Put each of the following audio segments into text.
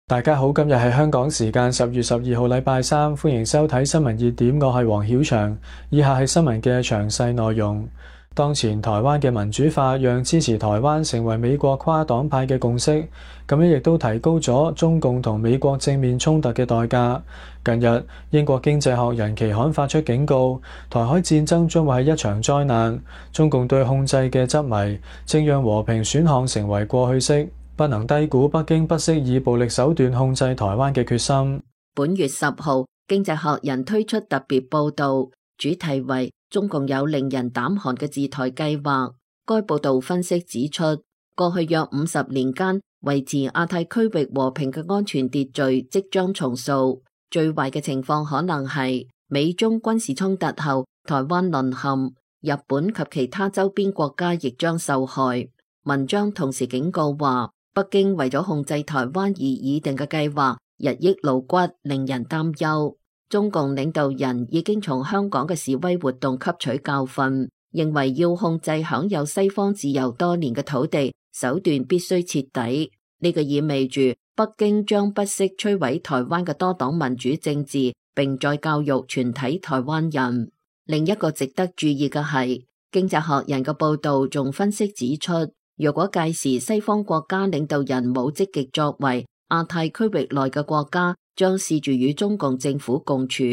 大家好，今日係香港時間10月12號禮拜三，歡迎收睇新聞熱點，我係黃曉翔。以下係新聞嘅詳細內容。當前台灣嘅民主化讓支持台灣成為美國跨黨派嘅共識，咁樣亦都提高咗中共同美國正面衝突嘅代價。近日，英國經濟學人期刊發出警告，台海戰爭將會係一場災難。中共對控制嘅執迷，正讓和平選項成為過去式。不能低估北京不惜以暴力手段控制台灣嘅決心。本月10號，經濟學人推出特別報道，主題為中共有令人膽寒嘅治台計劃。該報道分析指出，過去約50年間，維持亞太區域和平嘅安全秩序即將重塑。最壞嘅情況可能係美中軍事衝突後，台灣淪陷，日本及其他周邊國家亦將受害。文章同時警告話，北京為咗控制台灣而擬定嘅計劃日益露骨，令人擔憂。中共領導人已經從香港嘅示威活動吸取教訓，認為要控制享有西方自由多年嘅土地，手段必須徹底。呢個意味住北京將不惜摧毀台灣嘅多黨民主政治，並再教育全體台灣人。另一個值得注意嘅係，經濟學人嘅報道仲分析指出，如果屆時西方國家領導人冇積極作為，亞太區域內嘅國家將試住與中共政府共處，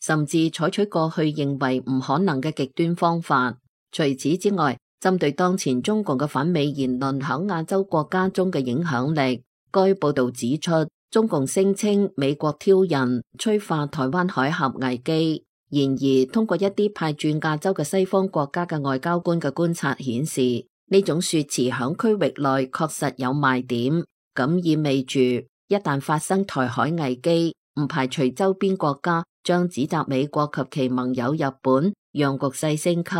甚至採取過去認為唔可能嘅極端方法。除此之外，針對當前中共嘅反美言論響亞洲國家中嘅影響力，該報道指出，中共聲稱美國挑釁催化台灣海峽危機。然而，通過一啲派駐亞洲嘅西方國家嘅外交官嘅觀察顯示，呢種說辭響區域內確實有賣點，咁意味住一旦發生台海危機，唔排除周邊國家將指責美國及其盟友日本，讓局勢升級。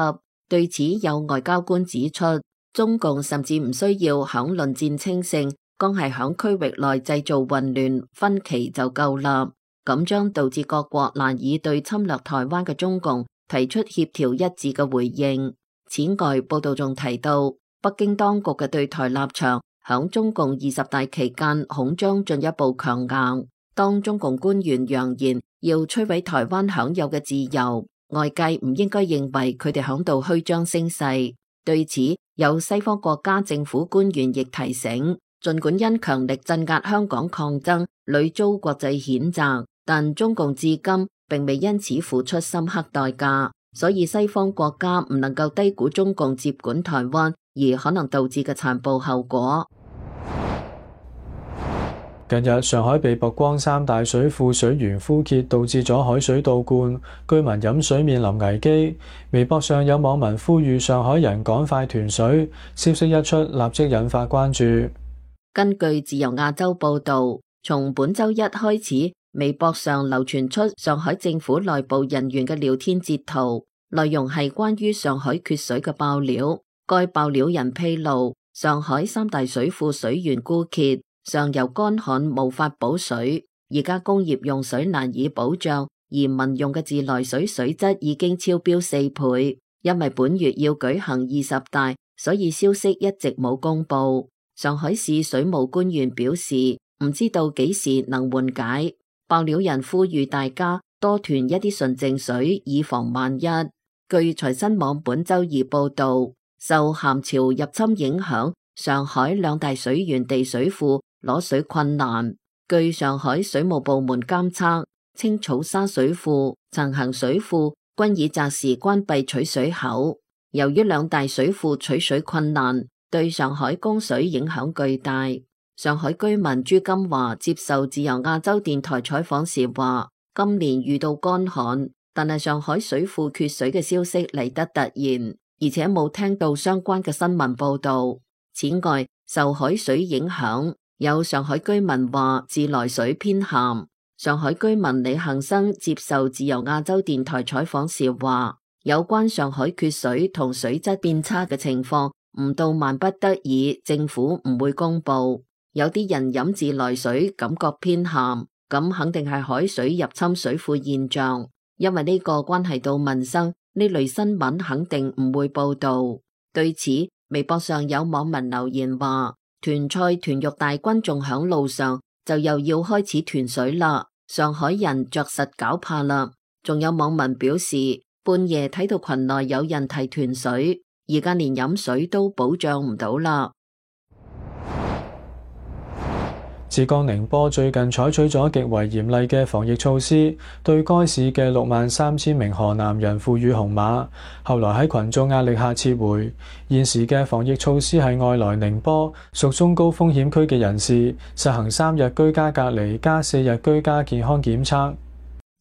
對此，有外交官指出，中共甚至唔需要響論戰稱勝，光係響區域內製造混亂分歧就夠啦，咁將導致各國難以對侵略台灣嘅中共提出協調一致嘅回應。此外，報道仲提到，北京當局嘅對台立場響中共20大期間恐將進一步強硬。當中共官員揚言要摧毀台灣享有嘅自由，外界唔應該認為佢哋響度虛張聲勢。對此，有西方國家政府官員亦提醒，儘管因強力鎮壓香港抗爭屢遭國際譴責，但中共至今並未因此付出深刻代價。所以西方國家唔能夠低估中共接管台灣而可能導致嘅殘暴後果。近日，上海被曝光3大水庫水源枯竭，導致咗海水倒灌，居民飲水面臨危機。微博上有網民呼籲上海人趕快囤水，消息一出，立即引發關注。根據自由亞洲報道，從本周一開始，微博上流傳出上海政府內部人員嘅聊天截圖，內容係關於上海缺水嘅爆料。該爆料人披露，上海3大水庫水源枯竭，上游乾旱無法補水，而家工業用水難以保障，而民用嘅自來水水質已經超標4倍。因為本月要舉行20大，所以消息一直冇公布。上海市水務官員表示，唔知道幾時能緩解。爆料人呼籲大家多囤一啲純淨水，以防萬一。據財新網本周二報道，受鹹潮入侵影響，上海2大水源地水庫攞水困難。據上海水務部門監測，青草沙水庫、陳行水庫均已擇時關閉取水口。由於2大水庫取水困難，對上海供水影響巨大。上海居民朱金華接受自由亞洲電台採訪時話，今年遇到乾旱，但係上海水庫缺水嘅消息嚟得突然，而且冇聽到相關嘅新聞報道。此外，受海水影響，有上海居民話自來水偏鹹。上海居民李恒生接受自由亞洲電台採訪時話，有關上海缺水同水質變差嘅情況，唔到萬不得已，政府唔會公布。有啲人飲自來水感覺偏鹹，咁肯定係海水入侵水庫現象，因為呢個關係到民生，呢類新聞肯定唔會報道。對此，微博上有網民留言話，團菜團肉大軍仲響路上，就又要開始斷水啦。上海人着實搞怕啦。仲有網民表示，半夜睇到群內有人提斷水，而家連飲水都保障唔到啦。浙江寧波最近採取咗極為嚴厲嘅防疫措施，對該市嘅63000名河南人賦予紅碼，後來喺群眾壓力下撤回。現時嘅防疫措施係外來寧波屬中高風險區嘅人士實行3日居家隔離加4日居家健康檢測。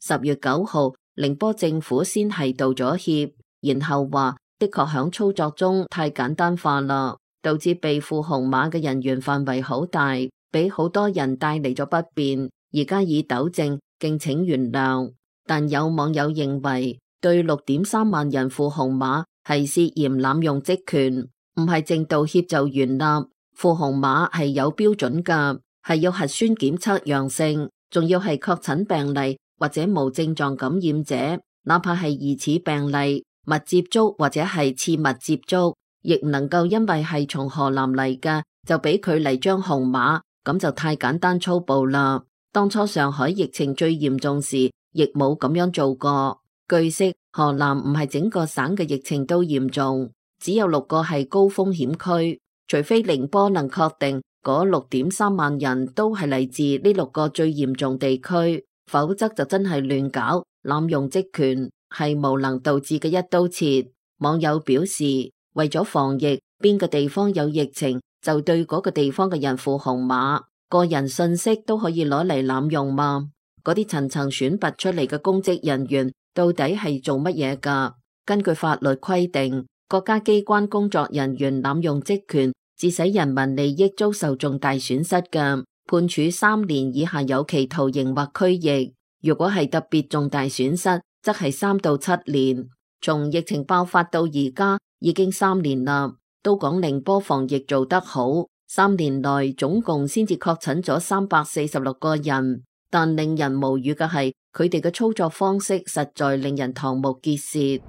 10月9號，寧波政府先係道咗歉，然後話的確響操作中太簡單化啦，導致被賦紅碼嘅人員範圍好大，俾好多人帶嚟咗不便，而家已糾正，敬請原諒。但有網友認為，對6.3萬人賦紅碼係涉嫌濫用職權，唔係淨道歉就原諒。賦紅碼係有標準㗎，係要核酸檢測陽性，仲要係確診病例或者無症狀感染者，哪怕係疑似病例、密接觸或者係次密接觸，亦唔能夠因為係從河南嚟嘅就俾佢嚟張紅碼。咁就太簡單粗暴啦！當初上海疫情最嚴重時，亦冇咁樣做過。據悉，河南唔係整個省嘅疫情都嚴重，只有6個係高風險區。除非寧波能確定嗰6.3萬人都係嚟自呢6個最嚴重地區，否則就真係亂搞、濫用職權，係無能導致嘅一刀切。網友表示，為咗防疫，邊個地方有疫情，就對嗰個地方嘅人賦紅碼，個人信息都可以攞嚟濫用嘛？嗰啲層層選拔出嚟嘅公職人員到底係做乜嘢㗎？根據法律規定，國家機關工作人員濫用職權，致使人民利益遭受重大損失嘅，判處3年以下有期徒刑或拘役；如果係特別重大損失，則係3到7年。從疫情爆發到而家已經3年啦。都講寧波防疫做得好，3年內總共先至確診咗346個人，但令人無語嘅係，佢哋嘅操作方式實在令人瞠目結舌。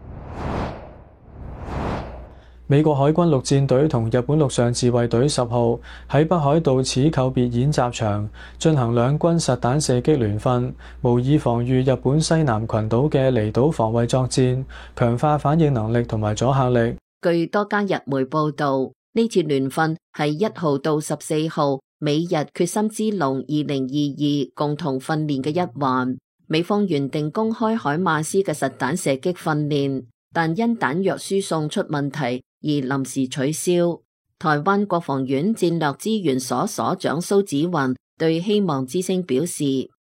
美國海軍陸戰隊同日本陸上自衛隊10號喺北海道此扣別演習場進行兩軍實彈射擊聯訓，模擬防禦日本西南群島嘅離島防衛作戰，強化反應能力同埋阻嚇力。據多家日媒報道，呢次聯訓係1號到14號美日決心之龍2022共同訓練嘅一環。美方原定公開海馬斯嘅實彈射擊訓練，但因彈藥輸送出問題而臨時取消。台灣國防院戰略資源所所長蘇紫雲對希望之聲表示，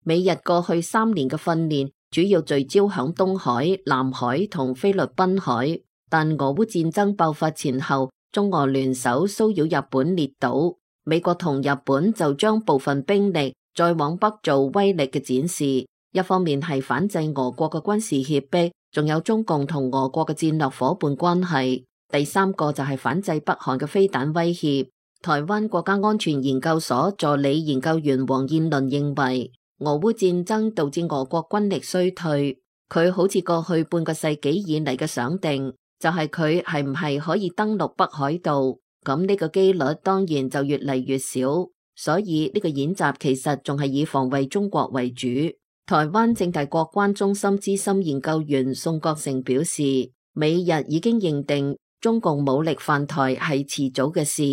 美日過去3年嘅訓練主要聚焦響東海、南海同菲律賓海。但俄烏戰爭爆發前後，中俄聯手騷擾日本列島，美國同日本就將部分兵力再往北做威力嘅展示。一方面係反制俄國嘅軍事脅迫，仲有中共同俄國嘅戰略夥伴關係。第3個就係反制北韓嘅飛彈威脅。台灣國家安全研究所助理研究員黃燕倫認為，俄烏戰爭導致俄國軍力衰退，佢好似過去半個世紀以嚟嘅想定。就係佢係唔係可以登陸北海道，咁呢個機率當然就越嚟越少，所以呢個演習其實仲係以防衛中國為主。台灣政大國關中心資深研究員宋國成表示，美日已經認定中共武力犯台係遲早嘅事，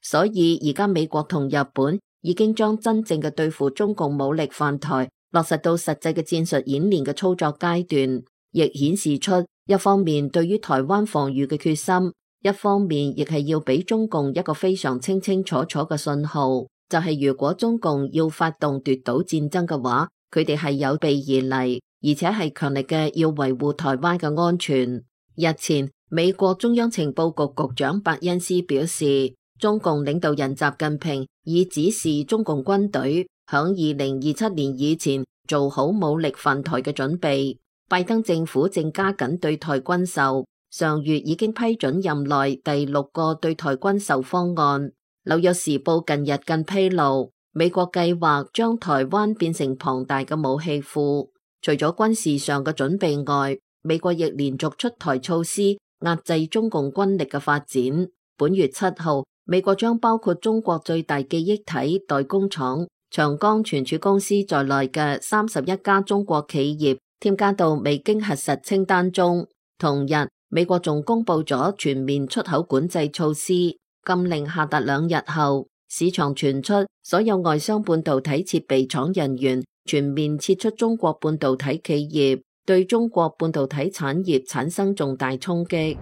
所以而家美國同日本已經將真正嘅對付中共武力犯台落實到實際嘅戰術演練嘅操作階段，亦顯示出一方面對於台灣防禦嘅決心，一方面亦係要俾中共一個非常清清楚楚嘅信號，就係如果中共要發動奪島戰爭嘅話，佢哋係有備而嚟，而且係強力嘅要維護台灣嘅安全。日前，美國中央情報局局長伯恩斯表示，中共領導人習近平已指示中共軍隊響2027年以前做好武力犯台嘅準備。拜登政府正加緊對台軍售，上月已經批准任內第6個對台軍售方案。紐約時報近日更披露，美國計劃將台灣變成龐大嘅武器庫。除咗軍事上嘅準備外，美國亦連續出台措施壓制中共軍力嘅發展。本月7號，美國將包括中國最大記憶體代工廠長江存儲公司在內嘅31家中國企業添加到未經核實清單中。同日，美國仲公布咗全面出口管制措施，禁令下達2日後，市場傳出所有外商半導體設備廠人員全面撤出中國半導體企業，對中國半導體產業產生重大衝擊。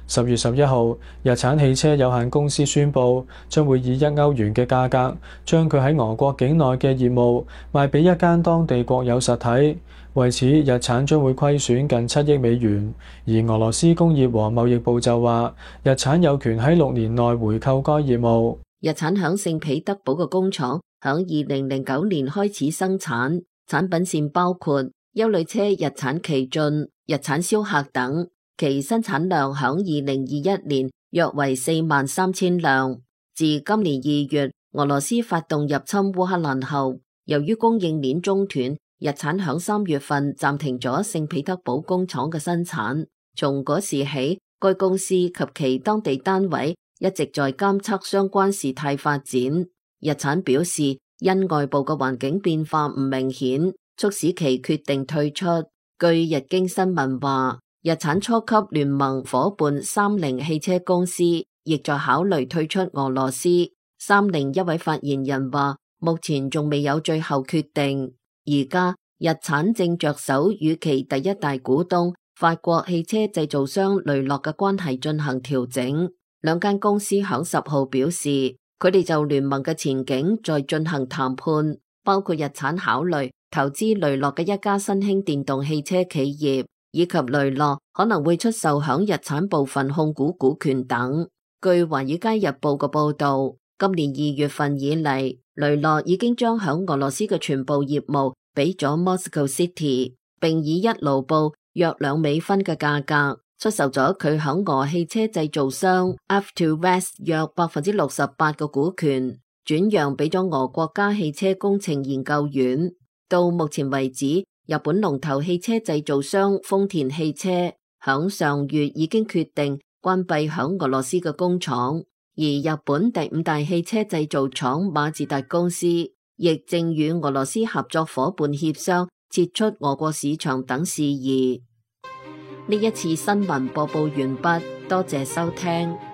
10月11號，日產汽車有限公司宣布，將會以1歐元嘅價格，將佢喺俄國境內嘅業務賣俾一間當地國有實體。為此，日產將會虧損近7億美元。而俄羅斯工業和貿易部就話，日產有權喺6年內回購該業務。日產響聖彼得堡嘅工廠響2009年開始生產，產品線包括休旅車日產奇駿、日產逍客等。其生產量響2021年約為43000輛。自今年2月俄羅斯發動入侵烏克蘭後，由於供應鏈中斷，日產響3月份暫停咗聖彼得堡工廠嘅生產。從嗰時起，該公司及其當地單位一直在監測相關事態發展。日產表示，因外部嘅環境變化唔明顯，促使其決定退出。據日經新聞話，日產初級聯盟夥伴三菱汽車公司亦在考慮退出俄羅斯。三菱一位發言人話，目前仲未有最後決定。而家日產正着手與其第一大股東法國汽車製造商雷諾嘅關係進行調整。兩間公司響10號表示，佢哋就聯盟嘅前景在進行談判，包括日產考慮投資雷諾嘅一家新興電動汽車企業，以及雷諾可能會出售響日產部分控股股權等。據華爾街日報嘅報道，今年2月份以嚟，雷諾已經將響俄羅斯嘅全部業務俾咗 Moscow City， 並以1盧布約2美分嘅價格出售咗佢響俄汽車製造商 Avtovaz 約 68% 嘅股權，轉讓俾咗俄國家汽車工程研究院。到目前為止，日本龍頭汽車製造商豐田汽車響上月已經決定關閉響俄羅斯嘅工廠，而日本第5大汽車製造廠馬自達公司亦正與俄羅斯合作夥伴協商撤出俄國市場等事宜。呢一次新聞播報完畢，多謝收聽。